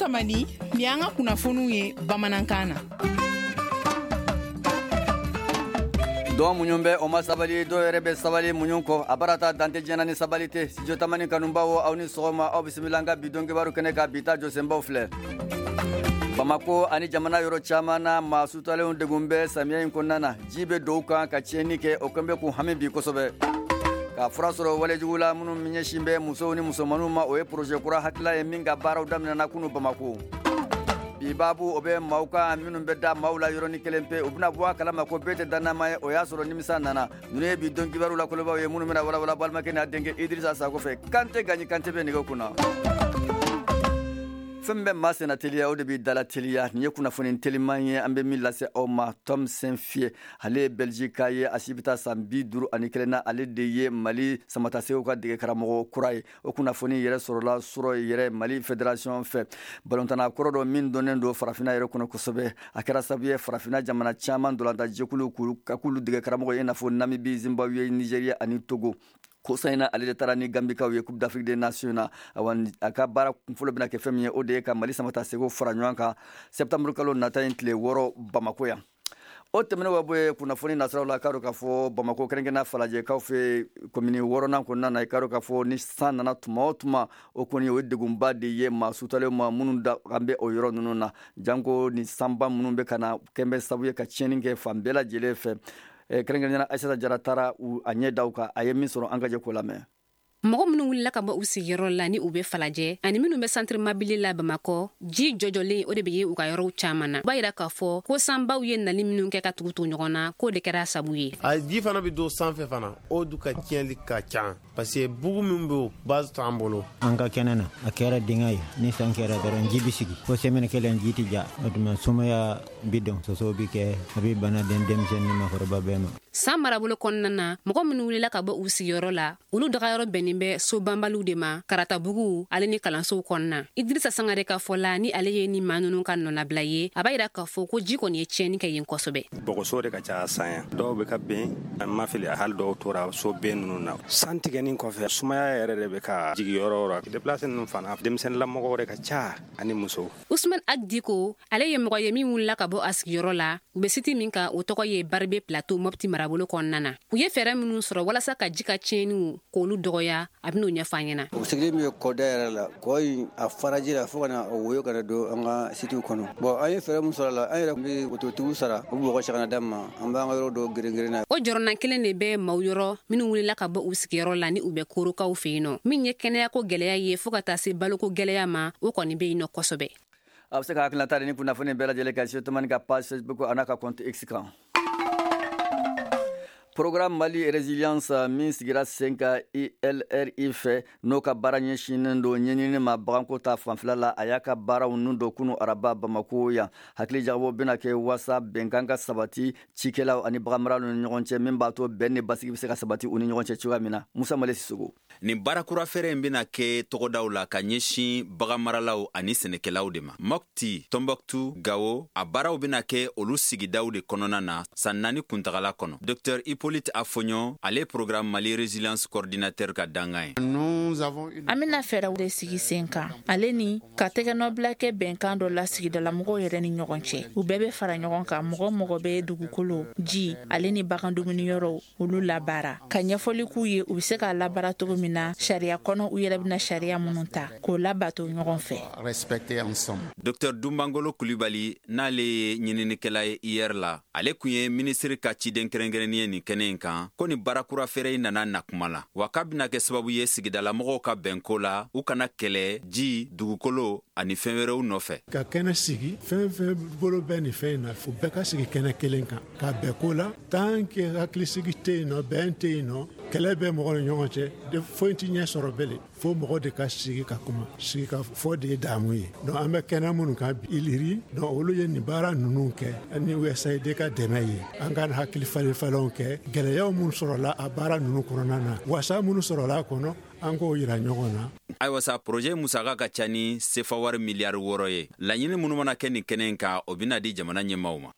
Tamani, ni y'an ka kunnafoniw ye bamanankan na. Dɔn muɲu bɛ o ma sabali, dɔw yɛrɛ bɛ sabali muɲu kɔ a baara ta dante diɲɛ ni sabali tɛ. Studio Tamani kanubaw, aw ni sɔgɔma, aw bisimila an ka bi don kibaru kɛnɛ kan. Bi ta jɔsenbaw filɛ: Bamako ani jamana yɔrɔ caman na, maa sutalenw degun bɛ samiya in kɔnɔna na. Ji bɛ dɔw kan ka tiɲɛni kɛ, o kɛn bɛ k'u hami bi kosɛbɛ. Ka fura sɔrɔ walejugu la minnu ɲɛsin bɛ musow ni musomaninw ma, o ye projet kura hakilila ye min ka baaraw daminɛna kunu Bamako. Bi baabu, o bɛ maaw kan minnu bɛ da maaw la yɔrɔnin kelen pe, u bɛna bɔ a kalama ko bɛɛ tɛ dannama ye, o y'a sɔrɔ nimisa nana. Ninnu ye bi don kibaru la kolobaw ye minnu bɛna walawala balimakɛ n'a denkɛ Idrissa Sako fɛ. Kante Gaɲi Kante bɛ nɛgɛ kunna. Fɛn bɛ maa senna teliya, o de b'i dala teliya. Nin ye kunnafoni teliman ye an bɛ min lase aw ma. Tom Saintfiet, ale ye Belgique ye, a si bɛ taa san 51 na, ale de ye Mali samatasew ka dege karamɔgɔ kura ye. O kunnafoni yɛrɛ sɔrɔla surɔ yɛrɛ Mali Fédération fɛ. Balontanna kɔrɔ dɔ min dɔnnen don farafinna yɛrɛ kɔnɔ kosɛbɛ, a kɛra sababu ye farafinna jamana caman dolantan jɛkulu ka k'olu dege karamɔgɔ ye, i n'a fɔ Namibie, Zimbabwe, Nigeria ani Togo. Kosa in na, ale de taara ni Gambikaw ye Coupe d'Afrique des Nations na. Awa, a ka baara kunfɔlɔ bɛna kɛ fɛn min ye, o de ye ka Mali samata sego fara ɲɔgɔn kan septembre kalo nata in tile 6 Bamako yan. O tɛmɛnen ka bɔ yen, kunnafoni nasiraw la, k'a dɔn k'a fɔ Bamako, kɛrɛnkɛrɛnnenya Falajɛkaw fɛ, komini wɔɔrɔnan kɔnɔna na, i k'a dɔn k'a fɔ ni san nana tuma o tuma, o kɔni o ye degunba de ye maa sutalen ma minnu da an bɛ o yɔrɔ ninnu na, janko ni sanba minnu bɛ ka na kɛn bɛ sababu ye ka tiɲɛni kɛ fan bɛɛ lajɛlen fɛ. Kɛrɛnkɛrɛnnenya, Aissata Jara taara a ɲɛ da kan, a ye min sɔrɔ, an ka jɛ k'o lamɛn. Mɔgɔ minnu wulila ka bɔ u sigiyɔrɔ la ni u bɛ Falajɛ ani minnu bɛ Centre Mabili la Bamakɔ, ji jɔjɔlen o de bɛ ye u ka yɔrɔw caman na. O b'a yira k'a fɔ ko sanbaw ye nali minnu kɛ ka tugu-tugu ɲɔgɔn na, k'o de kɛra sabu ye. A ji fana bɛ don sanfɛ fana, o du ka tiɲɛli ka ca parce que bugu min bɛ base t'an bolo. An ka kɛnɛ na, a kɛra dingɛ ye. Ni san kɛra dɔrɔn, ji bɛ sigi fo semaine kelen, ji tɛ ja. O tuma sumaya bi don, sosow bi kɛ, a bɛ bana den denmisɛnnin ni makɔrɔba bɛɛ ma. San marabolo kɔnɔna na, mɔgɔ minnu wulila ka bɔ u sigiyɔrɔ la, olu dagayɔrɔ bɛnnin bɛ so banbaliw de ma Karatabugu ale ni kalansow kɔnɔna. Idirisa Sangare ka fɔ la, ni ale ye ni maa ninnu ka nɔnabila ye, a b'a yira k'a fɔ ko ji kɔni ye tiɲɛni kɛ yen kosɛbɛ. Bɔgɔso de ka ca san yan, dɔw bɛ ka ben, an ma fili, hali dɔw tora so ben ninnu na. San tigɛnin kɔfɛ, sumaya yɛrɛ de bɛ ka jigi yɔrɔ o yɔrɔ. Déplacé ninnu fana, denmisɛnninlamɔgɔw de ka ca ani musow. Usman Agdiko, ale ye mɔgɔ ye min wulila ka bɔ a sigiyɔrɔ la. U bɛ site min kan, o tɔgɔ ye Baribe Plateau, Mɔpti marabolo kɔnɔna na. U ye fɛɛrɛ minnu sɔrɔ walasa ka ji ka tiɲɛniw k'olu dɔgɔya, a ben'o ɲɛfɔ an ɲɛna. O sigili min ye kɔda yɛrɛ la, kɔ in a faraji la fo ka na o woyo kana don an ka sitiw kɔnɔ. Bon, an ye fɛɛrɛ min sɔrɔ a la, an yɛrɛ bɛ wototigiw sara, u bɛ bɔgɔ cɛ ka na d'an ma, an b'an ka yɔrɔ dɔw geren na. O jɔrɔna kelen de bɛ maaw yɔrɔ minnu wulila ka bɔ u sigiyɔrɔ la ni u bɛ Korokaw fɛ yen nɔ. Min ye kɛnɛyako gɛlɛya ye fɔɔ ka taa se baloko gɛlɛya ma, o kɔni bɛ yen nɔ kosɛbɛ. A bɛ se ka hakilinata di ni kunnafoni bɛɛ lajɛlen kan Studio Tamani ka page Facebook a n'a ka compte X kan. Programme Mali Résilience min sigira sen kan ILRI fɛ, n'o ka baara ɲɛsinnen don ɲɛɲini ma baganko ta fanfɛla la, a y'a ka baaraw nun don kunu araba Bamako yan. Hakili jagabɔ bɛna kɛ waasa bɛnkan ka sabati cikɛlaw ani baganmaralaw ni ɲɔgɔn cɛ, min b'a to bɛn ni basigi bɛ se ka sabati u ni ɲɔgɔn cɛ cogoya min na. Musa Male Sisogo. Nin baarakura fɛɛrɛ in bɛna kɛ tɔgɔdaw la ka ɲɛsin baganmaralaw ani sɛnɛkɛlaw de ma Mɔpti, Tɔnbɔkutu, Gawo. A baaraw bɛna kɛ olu sigidaw de kɔnɔna na san 4 kuntagala kɔnɔ. Dr Hippolyte Afoɲɔ, ale Programme Mali Résilience coordinateur ka dangan ye. An bɛna fɛɛrɛw de sigi sen kan ale ni ka tɛgɛnɔbila kɛ bɛnkan dɔ la sigidalamɔgɔw yɛrɛ ni ɲɔgɔn cɛ. U bɛɛ bɛ fara ɲɔgɔn kan, mɔgɔ mɔgɔ bɛ dugukolo, ji ale ni bagan dumuniyɔrɔw olu labaara, ka ɲɛfɔli k'u ye u bɛ se k'a labaara cogo min na sariya kɔnɔ, u yɛrɛ bɛna sariya minnu ta k'o labato ɲɔgɔn fɛ. Dr Dunbangolo Kulibali, n'ale ye ɲininikɛla ye IER la, ale kun ye minisiri ka ciden kɛrɛnkɛrɛnnin ye nin kɛnɛ in kan, ko ni baarakura fɛɛrɛ in nana na kuma la wa k'a bɛna kɛ sababu ye sigidalamɔgɔw ka bɛnko la, u kana kɛlɛ ji, dugukolo ani fɛn wɛrɛw nɔfɛ. Ka kɛnɛ sigi, fɛn fɛn bolo bɛ nin fɛn in na, u bɛɛ ka sigi kɛnɛ kelen kan ka bɛn ko la. Tant que hakilisigi tɛ yen nɔ, bɛn tɛ yen nɔ, kɛlɛ bɛ mɔgɔ ni ɲɔgɔn cɛ, foyi tɛ ɲɛ sɔrɔ bele. Fo mɔgɔ de ka sigi ka kuma, sigi ka fɔ de ye damu ye. Donc an bɛ kɛnɛ minnu kan bi, ILRI, donc olu ye nin baara ninnu kɛ ni USAID ka dɛmɛ ye. An ka hakili falen falenw kɛ, gɛlɛyaw minnu sɔrɔla a baara ninnu kɔnɔna na, wasa minnu sɔrɔla a kɔnɔ. An k'o yira ɲɔgɔn na. Ayiwa sa, projet musaka ka ca ni sefa wari miliyari 6 ye. Laɲini minnu mana kɛ nin kɛnɛ in kan, o bɛna di jamana ɲɛmaaw ma.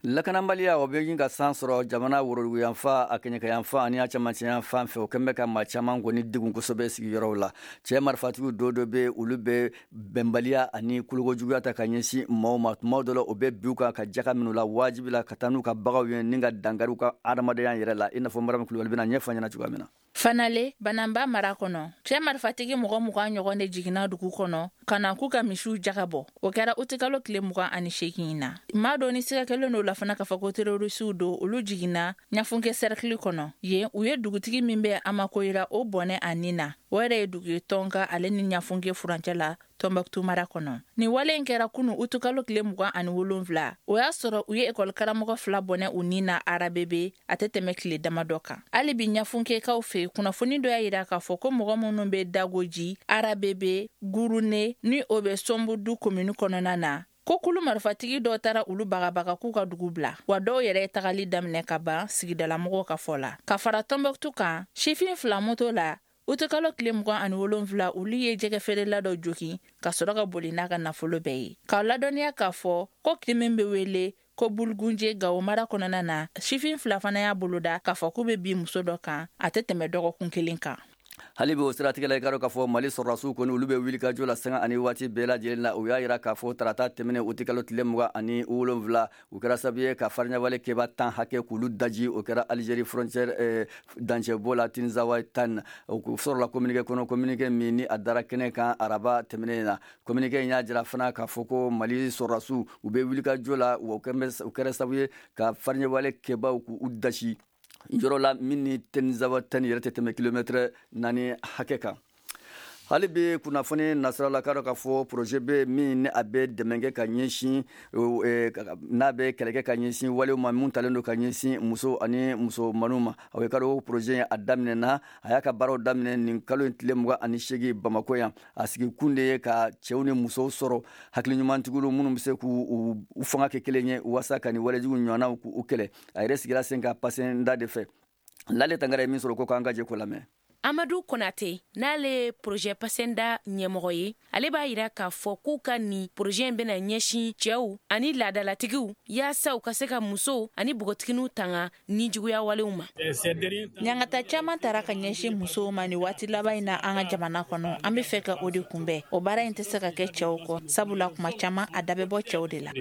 Lakanabaliya, o bɛ ka san sɔrɔ jamana woroduguyanfan, a kɛɲɛkayanfan ani a cɛmancɛyanfan fɛ. O kɛlen bɛ ka maa caman kɔni degun kosɛbɛ sigiyɔrɔw la. Cɛ marifatigiw dɔw dɔ bɛ, olu bɛ bɛnbaliya ani kolokojuguya ta ka ɲɛsin maaw ma. Tuma dɔ la, o bɛ bin u kan ka jaga minnu la wajibi la ka taa n'u ka baganw ye, ni ka dankari u ka adamadenya yɛrɛ la, i n'a fɔ Mariam Kulubali bɛna ɲɛfɔ ɲɛna cogoya min na. Fanale, Bananba mara kɔnɔ, cɛɛ marifatigi mɔgɔ 20 ɲɔgɔn de jiginna dugu kɔnɔ ka na k'u ka misiw jaga bɔ. O kɛra utikalo tile 28 na. Maa dɔ ni siga kɛlen don la fana k'a fɔ ko terorisiw don, olu jiginna Ɲafunke sɛrikili kɔnɔ. Yen, u ye dugutigi min bɛ Amakoyira, o bɔnɛ a nin na. O yɛrɛ ye dugu ye Tɔnka ale ni Ɲafunke furancɛ la, Tɔnbɔkutu mara kɔnɔ. Nin wale in kɛra kunu utukalo tile 27. O y'a sɔrɔ u ye ekɔli karamɔgɔ fila bɔnɛ u nin na Arabebe, a tɛ tɛmɛ tile damadɔ kan. Hali bi Ɲafunkekaw fɛ, kunnafoni dɔ y'a yira k'a fɔ ko mɔgɔ minnu bɛ Dagoji, Arabebe, Gurune, ni o bɛ Sɔnbudu komini kɔnɔna na, ko kulu marifatigi dɔ taara olu bagabaga k'u ka dugu bila, wa dɔw yɛrɛ ye tagali daminɛ ka ban, sigidalamɔgɔw ka fɔ la. Ka fara Tɔnbɔkutu kan, sifin fila moto la, utukalo tile 27, olu ye jɛgɛ feerela dɔ jogin ka sɔrɔ ka boli n'a ka nafolo bɛɛ ye. K'aw ladɔnniya k'a fɔ ko kin min bɛ wele ko Bulugunje, Gawo mara kɔnɔna na, sifin fila fana y'a boloda k'a fɔ k'u bɛ bin muso dɔ kan, a tɛ tɛmɛ dɔgɔkun kelen kan. Hali bi o siratigɛ la, i ka dɔn k'a fɔ Mali sɔrɔdasiw kɔni, olu bɛ wuli ka jɔ la sanga ani waati bɛɛ lajɛlen na. U y'a yira k'a fɔ tarata tɛmɛnen, utikalo tile 27, u kɛra sababu ye ka fariɲawale kɛba 10 hakɛ k'olu daji. O kɛra Algérie frontière dancɛbɔ la, Tinzawatène. O sɔrɔla communiqué kɔnɔ, communiqué min ni a dara kɛnɛ kan araba tɛmɛnen na. Communiqué in y'a jira fana k'a fɔ ko Mali sɔrɔdasiw, u bɛ wuli ka jɔ la, o kɛra sababu ye ka fariɲawale kɛbaw k'u dasi yɔrɔ la min ni Tinzawatène yɛrɛ tɛ tɛmɛ kilomɛtɛrɛ 4 hakɛ kan. Hali bi kunnafoni nasira la, k'a dɔn k'a fɔ projet bɛ min ni a bɛ dɛmɛ kɛ ka ɲɛsin, n'a bɛ kɛlɛ kɛ ka ɲɛsin walew ma mun talen don ka ɲɛsin muso ani musomaninw ma. O ye k'a dɔn projet a daminɛna, a y'a ka baaraw daminɛ nin kalo in tile 28 Bamako yan. A sigi kun de ye ka cɛw ni musow sɔrɔ, hakili ɲumantigiw minnu bɛ se k'u fanga kɛ kelen ye walasa ka nin walejugu ɲɔgɔnnaw k'u kɛlɛ. A yɛrɛ sigira sen kan Pasenda de fɛ. Lale Tangara ye min sɔrɔ ko k'an ka jɛ ko lamɛn. Amadu Konate, n'ale ye projet Pasenda ɲɛmɔgɔ ye, ale b'a yira k'a fɔ k'u ka nin projet in bɛna ɲɛsin cɛw ani laadalatigiw yaasa u ka se ka musow ani npogotiginiw tanga ni juguya walew ma. Ɲangata caman tara ka ɲɛsin musow ma nin waati laban in na an ka jamana kɔnɔ. An be fɛ ka o de kunbɛn. O baara in tɛ se ka kɛ cɛw kɔ, sabula kuma caman a da bɛ bɔ cɛw de la.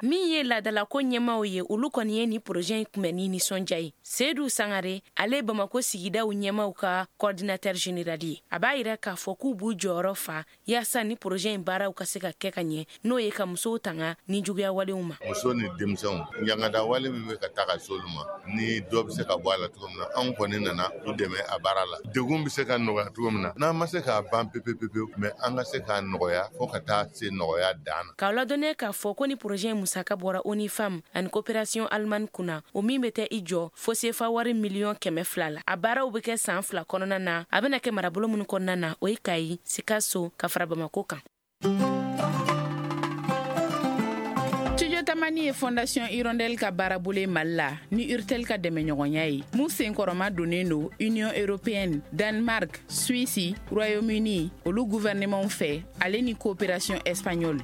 Min ye laadalako ɲɛmaw ye, olu kɔni ye nin projet in kunbɛn ni nisɔndiya ye. Sedu Sangare, ale Bamako sigidaw ɲɛmaw ka coordinateur général ye, a b'a yira k'a fɔ k'u b'u jɔyɔrɔ fa yaasa ni projet in baaraw ka se ka kɛ ka ɲɛ, n'o ye ka musow tanga ni juguya walew ma. Muso ni denmisɛnw, ɲangada wale min bɛ ka taa ka s'olu ma, ni dɔ bɛ se ka bɔ a la cogo min na, anw kɔni nana u dɛmɛ a baara la. Degun bɛ se ka nɔgɔya cogo min na, n'an ma se k'a ban pepe pepewu, mais an ka se k'a nɔgɔya fo ka taa se nɔgɔya dan na. K'aw ladɔnniya k'a fɔ ko ni projet in musaka bɔra ONU Femmes ani coopération allemande kunna, o min bɛ tɛ i jɔ fo sefa wari miliyɔn 200 la. A baaraw bɛ kɛ san 2 kɔnɔna na. A bɛna kɛ marabolo minnu kɔnɔna na, o ye Kayi, Sikaso ka fara Bamako kan. Studio Tamani ye Fondation Hirondelle ka baarabolo Mali la ni Urtel ka dɛmɛɲɔgɔnya ye, mun senkɔrɔma donnen don Union européenne, Danemark, Suisse, Royaume-Uni olu gouvernement fɛ, ale ni coopération espagnole.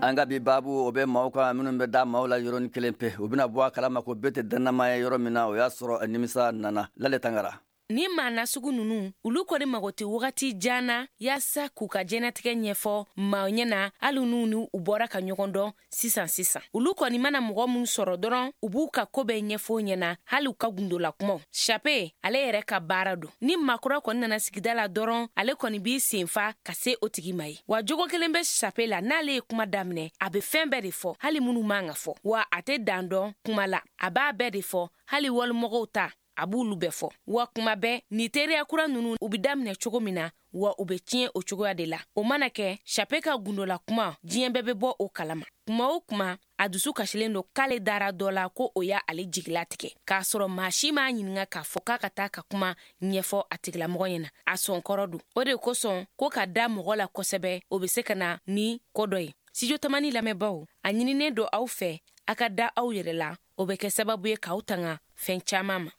An ka bi baabu, o bɛ maaw kan minnu bɛ da maaw la yɔrɔnin kelen pe. U bɛna bɔ a kalama ko bɛɛ tɛ dannama ye yɔrɔ min na, o y'a sɔrɔ nimisa nana. Lale Tangara. Ni maa nasugu ninnu, olu kɔni mago tɛ wagati jan na yaasa k'u ka diɲɛnatigɛ ɲɛfɔ maaw ɲɛna, hali n'u ni u bɔra ka ɲɔgɔn dɔn sisan sisan. Olu kɔni mana mɔgɔ min sɔrɔ dɔrɔn, u b'u ka ko bɛɛ ɲɛfɔ ɲɛna, hali u ka gundola kumaw. Sape, ale yɛrɛ ka baara don. Ni maakura kɔni nana sigida la dɔrɔn, ale kɔni b'i senfa ka se o tigi ma ye. Wa jogo kelen bɛ Sape la, n'ale ye kuma daminɛ, a bɛ fɛn bɛɛ de fɔ, hali minnu man ka fɔ. Wa a tɛ dan dɔn kuma la, a b'a bɛɛ de fɔ, hali walimɔgɔw ta, a b'olu bɛɛ fɔ. Wa kuma bɛɛ, ni teriya kura ninnu, u be daminɛ cogo min na, wa u be tiɲɛ o cogoya de la. O mana kɛ, Sape ka gundola kuma, diɲɛ bɛɛ bɛ bɔ o kalama. Kuma o kuma, a dusu kasilen don k'ale dara dɔ la ko o y'a ale jigilatigɛ, k'a sɔrɔ maa si m'a ɲininga k'a fɔ k'a ka taa ka kuma ɲɛfɔ a tigilamɔgɔ ɲɛna. A sɔnkɔrɔ don. O de kosɔn ko ka da mɔgɔ la kosɛbɛ, o be se ka na ni ko dɔ ye. Studio Tamani lamɛnbaw, a ɲininen don aw fɛ a ka da aw yɛrɛ la. O bɛ kɛ sababu ye k'aw tanga fɛn caman ma.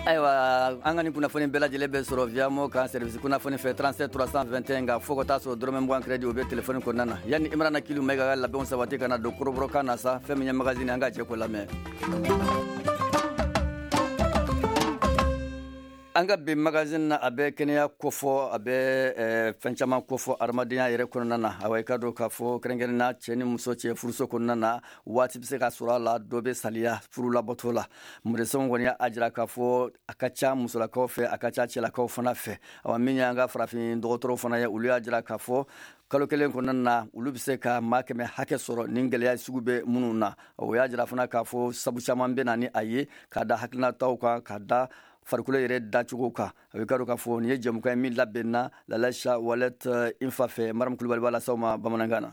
Ayiwa, an ka nin kunnafoni bɛɛ lajɛlen bɛ sɔrɔ Viamo kan, service kunnafoni fɛ, 37 321 nka fo ka taa sɔrɔ dɔrɔmɛ 20 crédit, o bɛ téléphone kɔnɔna na. Yanni Imrana Kilu Mayiga ka labɛnw sabati ka na don kɔrɔbɔrɔkan na sa, fɛn min ye magazine, an ka jɛ k'o lamɛn. An ka bi magazine na, a bɛ kɛnɛya kofɔ, a bɛ fɛn caman kofɔ adamadenya yɛrɛ kɔnɔna na. Awa, i ka dɔn k'a fɔ kɛrɛnkɛrɛnna cɛ ni muso cɛ furuso kɔnɔna na, waati bɛ se ka sɔrɔ a la, dɔ bɛ saliya furu labato la. Médecins kɔni y'a jira k'a fɔ a ka ca musolakaw fɛ, a ka ca cɛlakaw fana fɛ. Awa, min y'an ka farafin dɔgɔtɔrɔw fana ye, olu y'a jira k'a fɔ kalo kelen kɔnɔna na, olu bɛ se ka maa 100 hakɛ sɔrɔ nin gɛlɛya sugu bɛ minnu na. O y'a jira fana k'a fɔ sabu caman bɛ na ni a ye, ka da hakilinataw kan, ka da farikolo yɛrɛ dacogo kan. A bɛ ka dɔn k'a fɔ nin ye jɛmukan ye min labɛnna Lalaisa Walet Infa fɛ. Mariam Kulubali b'a lase aw ma bamanankan na.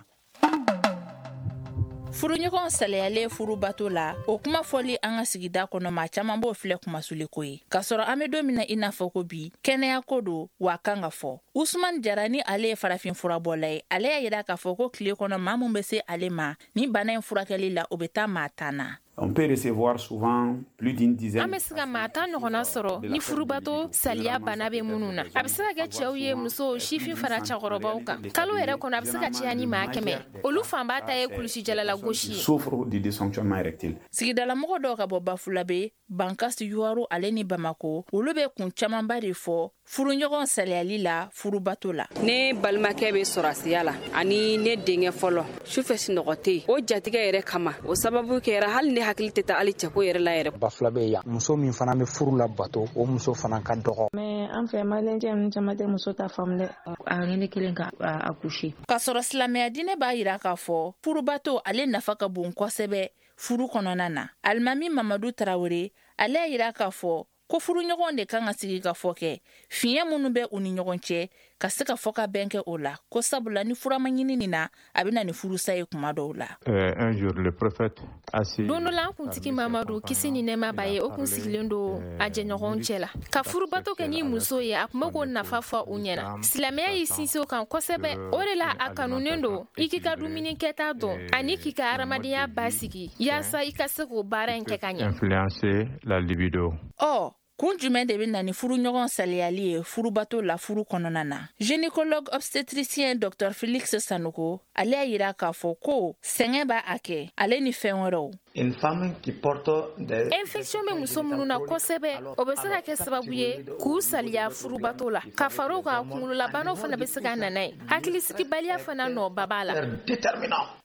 Furuɲɔgɔn salayalen furubato la, o kuma fɔli an ka sigida kɔnɔ, maa caman b'o filɛ kumasuliko ye, k'a sɔrɔ an bɛ don min na i n'a fɔ ko bi, kɛnɛya ko don wa kan ka fɔ. Usman Jara ni ale ye farafin furabɔla ye, ale y'a yira k'a fɔ ko tile kɔnɔ, maa mun bɛ se ale ma ni bana in furakɛli la, o bɛ taa maa 10 na. On peut recevoir souvent plus d'une dizaine. An bɛ se ka maa 10 ɲɔgɔnna sɔrɔ ni furubato saliya bana bɛ minnu na. A bɛ se ka kɛ cɛw ye, musow, sifin fara cɛkɔrɔbaw kan. Kalo yɛrɛ kɔnɔ, a bɛ se ka caya ni maa 100. Olu fanba ta ye kulusijalala gosi ye. Souffre de dysfonctionnement érectile. Sigidalamɔgɔ dɔw ka bɔ Bafulabe, Bankasi, Yuwaru ale ni Bamako, olu bɛ kun camanba de fɔ furuɲɔgɔn saliyali la furubato la. Ne balimakɛ bɛ sɔrɔsiya la ani ne denkɛ fɔlɔ, sufɛ sunɔgɔ tɛ yen. O jatigɛ yɛrɛ kama, o sababu kɛra hali ne hakili tɛ taa hali cɛko yɛrɛ la yɛrɛ. Bafulabe yan, muso min fana bɛ furu la bato, o muso fana ka dɔgɔ. Mais an fɛ, maliyɛn ninnu caman tɛ muso ta faamu dɛ. A ne kelen ka a coucher. K'a sɔrɔ silamɛya diinɛ b'a yira k'a fɔ furubato ale nafa ka bon kosɛbɛ furu kɔnɔna na. Alimami Mamadu Tarawele, ale y'a yira k'a fɔ ko furuɲɔgɔnw de kan ka sigi ka fɔ kɛ fiɲɛ minnu bɛ u ni ɲɔgɔn cɛ, ka se ka fɔ ka bɛn kɛ o la, ko sabula ni fura ma ɲini nin na, a bɛ na ni furusa ye kuma dɔw la. Un jour, le prophète assis. Don dɔ la, an kuntigi Mamadu, kisi ni nɛɛma b'a ye, o kun sigilen don a jɛɲɔgɔnw cɛ la ka furubato kɛ ni muso ye. A tun bɛ k'o nafa fɔ u ɲɛna. Silamɛya y'i sinsin o kan kosɛbɛ. O de la a kanunen don i k'i ka dumuni kɛta dɔn ani k'i ka hadamadenya basigi, yaasa i ka se k'o baara in kɛ ka ɲɛ. Influencer la libido. Ɔ, kun jumɛn de bɛ na ni furuɲɔgɔn saliyali ye furubato la furu kɔnɔna na? Gynécologue obstétricien Dr Félix Sanogo, ale y'a yira k'a fɔ ko sɛgɛn b'a a kɛ, ale ni fɛn wɛrɛw. Une femme qui porte des Infection bɛ muso minnu na kosɛbɛ, o bɛ se ka kɛ sababu ye k'u saliya furubato la. Ka fara o kan, kunkololabanaw fana bɛ se ka na n'a ye. Hakilisigibaliya fana nɔba b'a la.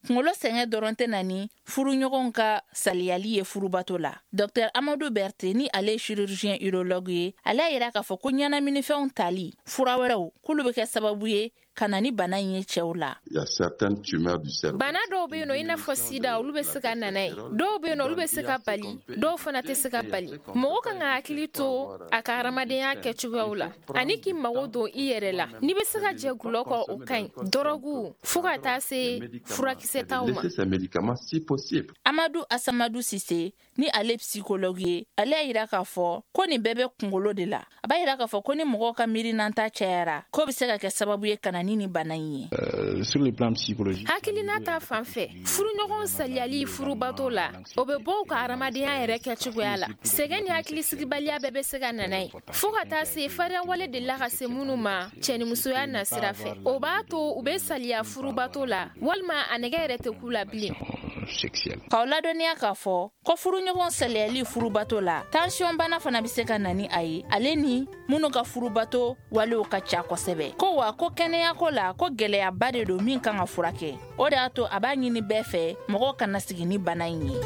Kunkolo sɛgɛn dɔrɔn tɛ na ni furuɲɔgɔnw ka saliyali ye furubato la. Dr Amadu Berte ni ale ye chirurgien urologue ye, ale y'a yira k'a fɔ ko ɲɛnaminifɛnw tali, fura wɛrɛw, k'olu bɛ kɛ sababu ye ka na ni bana in ye cɛw la. Il y a certaines tumeurs du cerveau. Bana dɔw bɛ yen nɔ, i n'a fɔ sida, olu bɛ se ka na n'a ye. Dɔw bɛ yen nɔ, olu bɛ se ka bali, dɔw fana tɛ se ka bali. Mɔgɔ kan ka hakili to a ka hadamadenya kɛcogoyaw la ani k'i mago don i yɛrɛ la. N'i bɛ se ka jɛ gulɔ kɔ, o ka ɲi, dɔrɔgu, fo ka taa se furakisɛ taw ma. Laisser ces médicaments si possible. Amadu Asamadu Sise ni ale psychologue ye, ale y'a yira k'a fɔ ko nin bɛɛ bɛ kunkolo de la. A b'a yira k'a fɔ ko ni mɔgɔw ka miirinanta cayara, k'o bɛ se ka kɛ sababu ye ka na ni nin bana in ye. Sur le plan psychologique, Hakilina ta fan fɛ, furuɲɔgɔn saliyali furubato la, o bɛ bɔ u ka hadamadenya yɛrɛ kɛcogoya la. Sɛgɛn ni hakilisigibaliya bɛɛ bɛ se ka na n'a ye, fo ka taa se fariyawale delila ka se minnu ma cɛnimusoya nasira fɛ, o b'a to u bɛ saliya furubato la, walima a nɛgɛ yɛrɛ tɛ k'u la bilen. Sexuel. K'aw ladɔnniya k'a fɔ ko furuɲɔgɔn saliyali furubato la, tension bana fana bɛ se ka na ni a ye, ale ni minnu ka furubato walew ka ca kosɛbɛ. Ko wa ko kɛnɛyako la, ko gɛlɛyaba de don min kan ka furakɛ. O de y'a to a b'a ɲini bɛɛ fɛ, mɔgɔw kana sigi ni bana in ye.